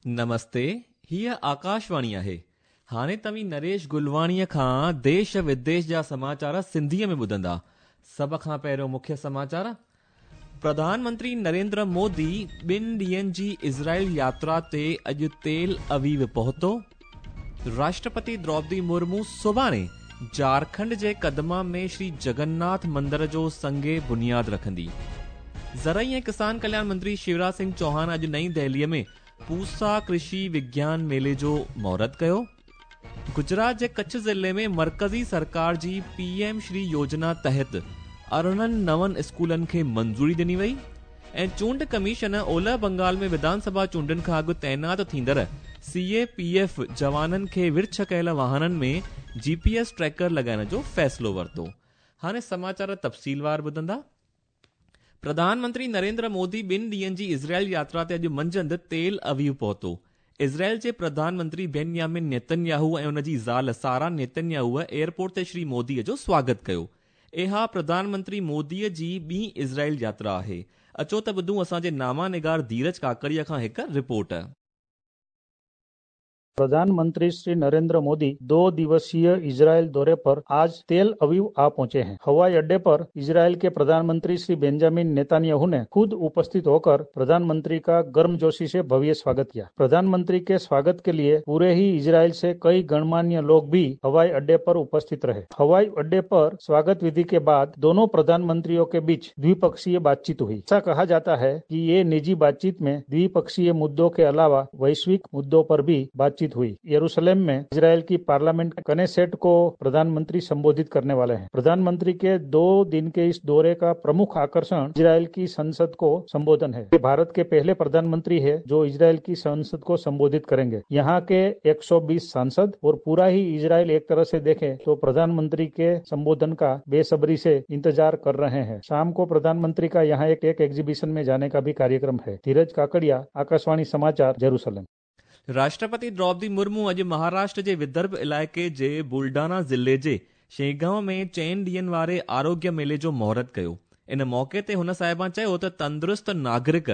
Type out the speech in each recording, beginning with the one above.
نمستي، هيء آڪاشواڻي آهي. هاڻي توهين نريش گلواڻيء کان ديش وديش جا سماچار سنڌيء ۾ ٻڌندا. سڀ کان پهريون مکيه سماچار. پرڌان منتري نريندر مودي ٻن ڏينهن جي اسرائيل ياترا تي اڄ تيل اويو پهتو. راشٽرپتي دروپدي مرمو سڀاڻي جهارکنڊ جي ڪدما ۾ شري جگناٿ مندر جو سنگ بنياد رکندي. زرعي ۽ ڪسان ڪلياڻ منتري شيوراج سنگهه چوهان اڄ نئين دهليء ۾ پوسا ڪرشي وگيان ميلي جو مهورت ڪيو. گجرات جي ڪڇ ضلعي ۾ مرڪزي سرڪار جي پي ايم شري يوجنا تحت 18 نون اسڪولن کي منظوري ڏني وئي ۽ چونڊ ڪميشن اولهه بنگال ۾ وڌان سڀا چونڊن کان اڳ تعينات ٿيندڙ سي اي پي ايف جوانن کي ورڇ ڪيل واهنن ۾ جي پي ايس ٽريڪر لڳائڻ جو فيصلو ورتو. هاڻي سماچار تفصيلوار ٻڌندا. پرڌان منتري نريندر مودي ٻن ڏينهن جي اسرائيل ياترا تي اڄ منجهند تيل اويو پهتو. اسرائيل جي پرڌان منتري بينيامن نيتنياهو ۽ ان جي زال سارا نيتنياهوء ايئرپورٽ تي شري موديء جو سواگت ڪيو. اها پرڌان منتري موديء جي ٻي اسرائيل ياترا آهي. اچو ته ٻڌون اسان جي ناما نگار ڌيرج ڪاڪڙيء کان هڪ رپورٽ. प्रधानमंत्री श्री नरेंद्र मोदी 2 दिवसीय इजरायल दौरे पर आज तेल अवीव आ पहुंचे हैं। हवाई अड्डे पर इजरायल के प्रधानमंत्री श्री बेंजामिन नेतन्याहू ने खुद उपस्थित होकर प्रधानमंत्री का गर्मजोशी से भव्य स्वागत किया। प्रधानमंत्री के स्वागत के लिए पूरे ही इजरायल से कई गणमान्य लोग भी हवाई अड्डे पर उपस्थित रहे। हवाई अड्डे पर स्वागत विधि के बाद दोनों प्रधानमंत्रियों के बीच द्विपक्षीय बातचीत हुई। ऐसा कहा जाता है कि ये निजी बातचीत में द्विपक्षीय मुद्दों के अलावा वैश्विक मुद्दों पर भी बातचीत हुई। यरूशलेम में इजरायल की पार्लियामेंट कनेसेट को प्रधानमंत्री संबोधित करने वाले हैं। प्रधानमंत्री के 2 दिन के इस दौरे का प्रमुख आकर्षण इजरायल की संसद को संबोधन है। ये भारत के पहले प्रधानमंत्री है जो इजरायल की संसद को संबोधित करेंगे। यहाँ के 120 सांसद और पूरा ही इजरायल एक तरह से देखें तो प्रधानमंत्री के संबोधन का बेसब्री से इंतजार कर रहे हैं। शाम को प्रधानमंत्री का यहाँ एक एग्जीबिशन में जाने का भी कार्यक्रम है। धीरज काकड़िया, आकाशवाणी समाचार, जेरूसलम। राष्ट्रपति द्रौपदी मुर्मू अॼु महाराष्ट्र जे विदर्भ इलाइक़े जे बुलडाना ज़िले जे शेगांव में 4 ॾींहनि वारे आरोग्य मेले जो मुहूर्त कयो। इन मौक़े ते हुन साहिबा चयो त तंदुरुस्त नागरिक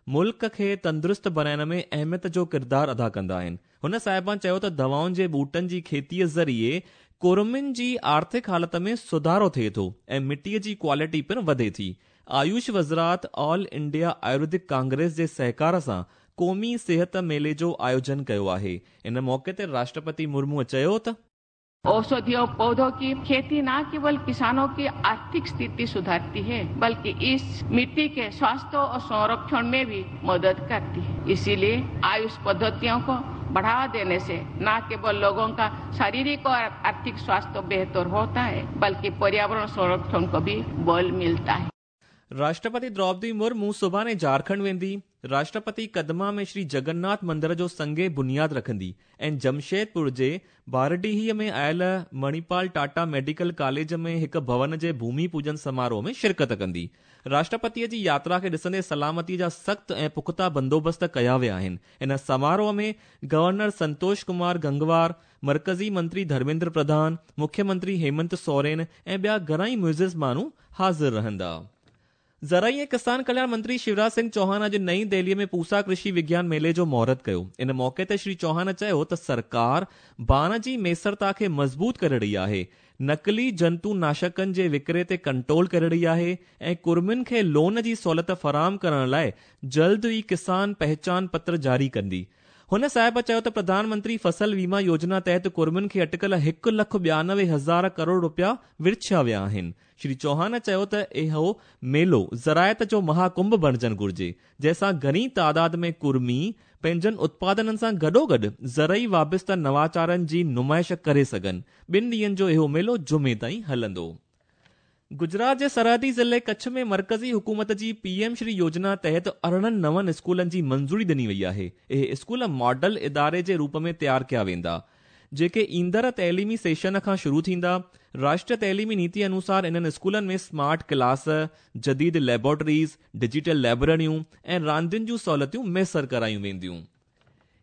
मुल्क खे तंदुरुस्त बणाइण में अहमियत जो किरदारु अदा कंदा आहिनि। हुन साहिबा चयो त दवाउनि जे ॿूटनि जी खेतीअ ज़रिए कुर्मिन जी आर्थिक हालत में सुधारो थिए थो ऐं मिटीअ जी क्वालिटी पिणु वधे थी। आयुष वज़ारत ऑल इंडिया आयुर्वेदिक कांग्रेस जे सहकार सां क़ौमी सेहत मेले जो आयोजन कयो आहे। इन मौक़े ते राष्ट्रपति मुर्मूअ चयो त औषधीय पौधों की खेती न केवल किसानों की आर्थिक स्थिति सुधारती है बल्कि इस मिट्टी के स्वास्थ्य और संरक्षण में भी मदद करती है। इसीलिए आयुष पद्धतियों को बढ़ावा देने से न केवल लोगों का शारीरिक और आर्थिक स्वास्थ्य बेहतर होता है बल्कि पर्यावरण संरक्षण को भी बल मिलता है। राष्ट्रपति द्रौपदी मुर्मू सुभाणे झारखंड वेंदी। राष्ट्रपति कदमा में श्री जगन्नाथ मंदिर जो संगे बुनियाद रखंदी ऐं जमशेदपुर जे बारडीहीअ में आयल मणिपाल टाटा मेडिकल कॉलेज में हिकु भवन जे भूमि पूजन समारोह में शिरकत कंदी। राष्ट्रपतीअ जी यात्रा खे ॾिसंदे सलामतीअ जा सख़्त ऐं पुख़्ता बंदोबस्त कया विया आहिनि। इन समारोह में गवर्नर संतोष कुमार गंगवार, मर्कज़ी मंत्री धर्मेंद्र प्रधान, मुख्यमंत्री हेमंत सोरेन ऐं ॿिया घणाई मुइज़िज़ माण्हू हाज़िर रहंदा। ज़रई ऐं किसान कल्याण मंत्री शिवराज सिंह चौहान अॼु नई दिल्लीअ में पूसा कृषि विज्ञान मेले जो मुहूर्त कयो। इन मौक़े ते श्री चौहान चयो त सरकार बाण जी मैसरता खे मज़बूत करे रही आहे, नकली जंतु नाशकनि जे विकिरे ते कंट्रोल करे रही आहे ऐं कुर्मिन खे लोन जी सहूलियत फराहम करण लाइ जल्द ई किसान पहचान पत्र जारी कंदी। हुन साहिब चयो त प्रधानमंत्री फसल बीमा योजना तहत कुर्मिन खे अटकल 1,92,000 करोड़ रुपया विरछिया विया आहिनि। श्री चौहान चयो त इहो मेलो ज़रायत जो महाकुंभ बणिजणु घुरिजे, जंहिंसां घणी तादाद में कुर्मी पंहिंजनि उत्पादननि सां गॾोगॾु ज़रई वाबिस्ता नवाचारनि जी नुमाइश करे सघनि। 2 ॾींहनि जो इहो मेलो जुमे ताईं हलंदो। गुजरात जे सरहदी ज़िले कच्छ में मर्कज़ी हुकूमत जी पीएम श्री योजना तहत 18 नवनि स्कूलनि जी मंज़ूरी ॾिनी वई आहे। इहे स्कूल मॉडल इदारे जे रूप में तयारु कया वेंदा, जेके ईंदड़ तइलीमी सेशन खां शुरू थींदा। राष्ट्रीय तइलीमी नीति अनुसार इन्हनि स्कूलनि में स्मार्ट क्लास, जदीद लेबोरेटरीज़, डिजिटल लाइब्रेरियूं ऐं रांदियुनि जूं सहूलियतूं मयसर करायूं वेंदियूं।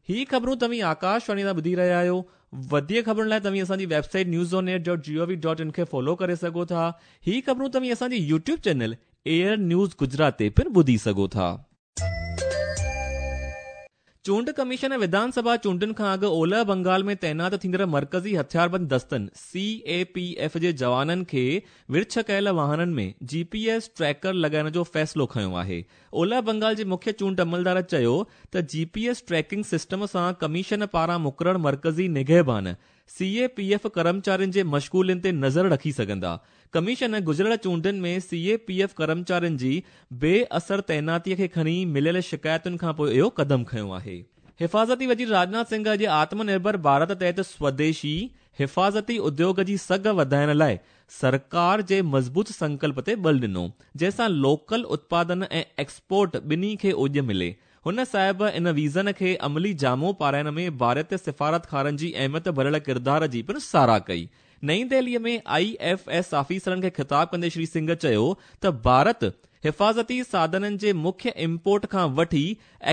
ही ख़बरूं तव्हीं आकाशवाणी तां ॿुधी रहिया आहियो। वधीक ख़बरुनि लाइ तव्हीं असांजी वेबसाइट newsonair.gov.in खे फॉलो करे सघो था। ही ख़बरूं तव्हीं असांजी YouTube channel air news Gujarat ते पिणु ॿुधी सघो था। चूंड कमीशन विधान सभा चूंडुनि खां अॻु ओलह बंगाल में तैनात थींदड़ मर्कज़ी हथियारबंद दस्तनि सी ए पी एफ जे जवाननि खे विर्छ कयल वाहननि में जी पी एस ट्रैकर लॻाइण जो फ़ैसिलो खयो आहे। ओलह बंगाल जे मुख्य चूंड अमलदार चयो त G P S tracking system सां कमीशन पारां मुक़ररु मर्कज़ी निगहबान सी ए पी एफ कर्मचारियुनि जे मशगूलियुनि ते नज़र रखी सघंदा। कमीशन गुज़िरियल चूंडुनि में सी ए पी एफ कर्मचारियुनि जी बेअसर तैनातीअ खे खणी मिलियल शिकायतुनि खां पोइ इहो क़दम खयो आहे। हिफ़ाज़ती वज़ीर राजनाथ सिंह अॼु आत्मनिर्भर भारत तहत स्वदेशी हिफ़ाज़ती उद्योग जी सघ वधाइण लाइ सरकार जे मज़बूत संकल्प ते बल ॾिनो, जंहिंसां लोकल उत्पादन ऐं एक्सपोर्ट ॿिन्ही खे ओॼ मिले। हुन साहिब इन वीज़न खे अमली जामो पाराइण में भारतीय सिफारतखारनि जी अहमियत भरियल किरदार जी पिणु साराह कई। नई दिल्लीअ में I F S ऑफिसरनि खे ख़िताब कंदे श्री सिंह चयो त भारत हिफ़ाज़ती साधननि जे मुख्य इम्पोर्ट खां वठी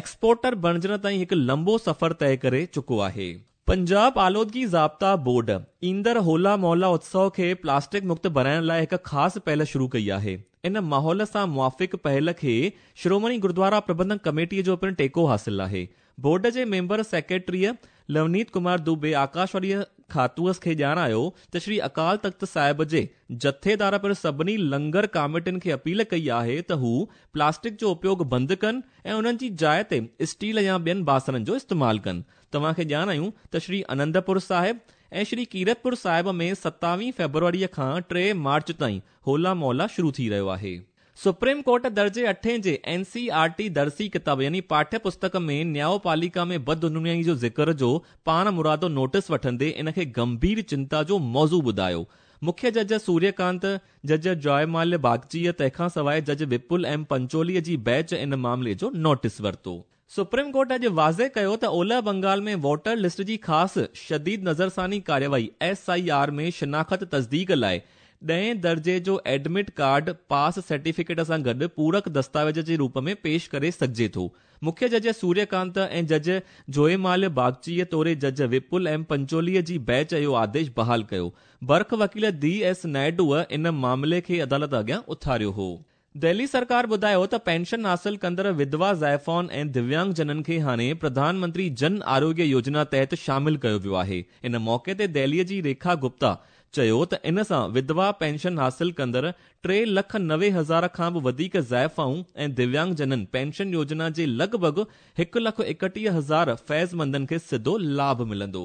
एक्सपोर्टर बणिजण ताईं हिकु लंबो सफ़र तय करे चुको आहे। पंजाब आलोदगी ज़ाब्ता बोर्ड ईंदड़ होला मोहल्ला उत्सव खे प्लास्टिक मुक्त बणाइण लाइ हिकु ख़ासि पहल शुरू कई आहे। इन माहौल सां मुआफ़िक़ पहल खे शिरोमणी गुरुद्वारा प्रबंधक कमेटीअ जो पिणु टेको हासिल आहे। बोर्ड जे मेंबर सेक्रेटरीअ लवनीत कुमार दुबे आकाशवाणीअ खातूअ खे ॼाणायो त श्री अकाल तख़्त साहिब जे जथेदार पिणु सभिनी लंगर कमेटियुनि खे अपील कई आहे त हू प्लास्टिक जो उपयोग बंदि कनि ऐं उन्हनि जी जाइ ते स्टील या ॿियनि बासणनि जो इस्तेमालु कनि। तव्हांखे ॼाणायूं त श्री अनंदपुर साहिब ऐं श्री कीरतपुर साहिब में 27 फ़ेब्रुवरीअ खां 3 मार्च ताईं होला मोहल्ला शुरू थी रहियो आहे। सुप्रीम कोर्ट दर्जे 8 जे एन सी आर टी दरसी किताब यानी पाठ्य पुस्तक में न्यायपालिका में बदउनवानी जो ज़िक्र जो पाण मुरादो नोटिस वठंदे इन खे गंभीर चिंता जो मौज़ू ॿुधायो। मुख्य जज सूर्यकांत, जज जॉयमाल्य बागचीअ तंहिंखां सवाइ जज विपुल एम पंचोलीअ जी बेंच इन मामले जो नोटिस वरितो। सुप्रीम कोर्ट अॼु वाज़े कयो त ओलह बंगाल में वोटर लिस्ट जी ख़ासि शदीद नज़रसानी कार्यवाही एस I R में शिनाख़त तस्दीक लाइ 10 दर्जे जो एडमिट कार्ड पास सर्टिफिकेट सां गॾु पूरक दस्तावेज़ जे रूप में पेश करे सघिजे थो। मुख्य जज सूर्यकांत ऐं जज जोयमाल्य बागचीअ तोड़े जज विपुल एम पंचोलीअ जी बेंच इहो आदेश बहाल कयो। बर्ख वकील डी एस नायडूअ इन मामले खे अदालत अॻियां उथारियो हो। दिल्ली सरकार ॿुधायो त पेंशन हासिल कंदड़ विधवा ज़ाइफ़ाउनि ऐं दिव्यांग जननि खे हाणे प्रधानमंत्री जन आरोग्य योजना तहत शामिल कयो वियो आहे। इन मौक़े ते दिल्लीअ जी रेखा गुप्ता चयो त इन सां विधवा पेंशन हासिल कंदड़ 3,90,000 खां बि वधीक ज़ाइफ़ाऊं ऐं दिव्यांग जननि पेंशन योजना जे लॻभॻि 1,31,000 फैज़मंदनि खे सिधो लाभ मिलंदो।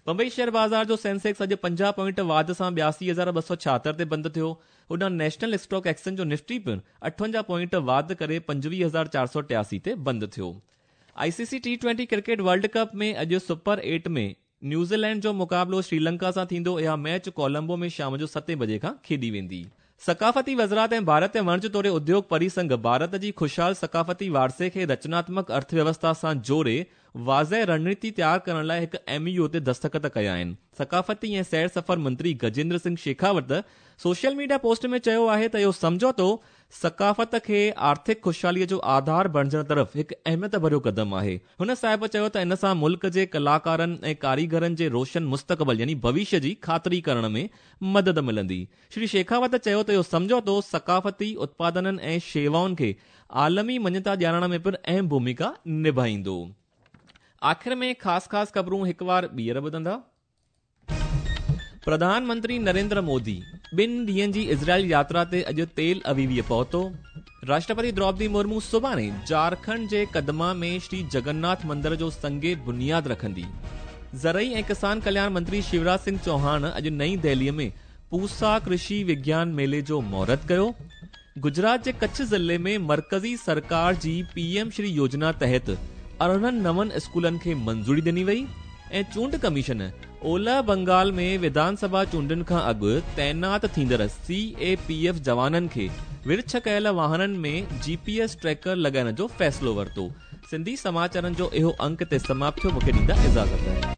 बंबई शेयर बाज़ार जो सेंसेक्स अॼु 50 पॉइंट वाध सां 82,276 ते बंदि थियो। होॾां नेशनल स्टॉक एक्सचेंज जो निफ्टी पिणु 58 पॉइंट वाध करे 25,483 ते बंदि थियो। ICC T20 cricket world cup में अॼु सुपर 8 में न्यूज़ीलैंड जो मुक़ाबिलो श्रीलंका सां थींदो। इहा मैच कोलंबो में शाम जो 7 बजे खां खेॾी वेंदी। सकाफ़ती वज़ारत ऐं भारत वणज तोड़े उद्योग परिसंघ भारत जी ख़ुशहाल सकाफ़ती वारसे खे रचनात्मक अर्थव्यवस्था सां जोड़े वाज़े रणनीति तयार करण लाइ हिकु एमयू ते दस्तख़त कया आहिनि। सकाफ़ती ऐं सैर सफ़र मंत्री Gajendra Singh Shekhawat social media post में चयो आहे त इहो सम्झौतो सकाफ़त खे आर्थिक ख़ुशहालीअ जो आधार बणिजण तरफ़ हिकु अहमियत भरियो क़दम आहे। हुन साहिब चयो त इन सां मुल्क जे कलाकारनि ऐं कारीगरनि जे रोशन मुस्तक़बिल यानी भविष्य जी ख़ातिरी करण में मदद मिलंदी। श्री शेखावत चयो त इहो सम्झौतो सकाफ़ती उत्पादननि ऐं शेवाउनि खे आलमी मञता ॾियारण में पिणु अहम भूमिका निभाईंदो। आख़िर में ख़ासि ख़ासि ख़बरूं हिकु वार ॿीहर ॿुधंदा। प्रधानमंत्री नरेंद्र मोदी ॿिनि ॾींहनि जी इज़राइल यात्रा ते अॼु तेल अवीवीअ पहुतो। राष्ट्रपति द्रौपदी मुर्मू सुभाणे झारखंड जे कदमा में श्री जगन्नाथ मंदिर जो संगे बुनियाद रखंदी। ज़रई ऐं किसान कल्याण मंत्री शिवराज सिंह चौहान अॼु नई दिल्लीअ में पूसा कृषि विज्ञान मेले जो मुहूर्त कयो। गुजरात जे कच्छ ज़िले में मर्कज़ी सरकार जी पीएम श्री योजना तहत 18 नवनि स्कूलनि खे मंज़ूरी ॾिनी वई। ऐं चूंड कमीशन ओलह बंगाल में विधानसभा चूंडुनि खां अॻु तैनात थींदड़ CAPF जवाननि खे विर्छ कयल वाहननि में GPS tracker लॻाइण जो फ़ैसिलो वरितो। सिंधी समाचारनि जो इहो अंक ते समाप्त थियो। मूंखे ॾींदा इजाज़त।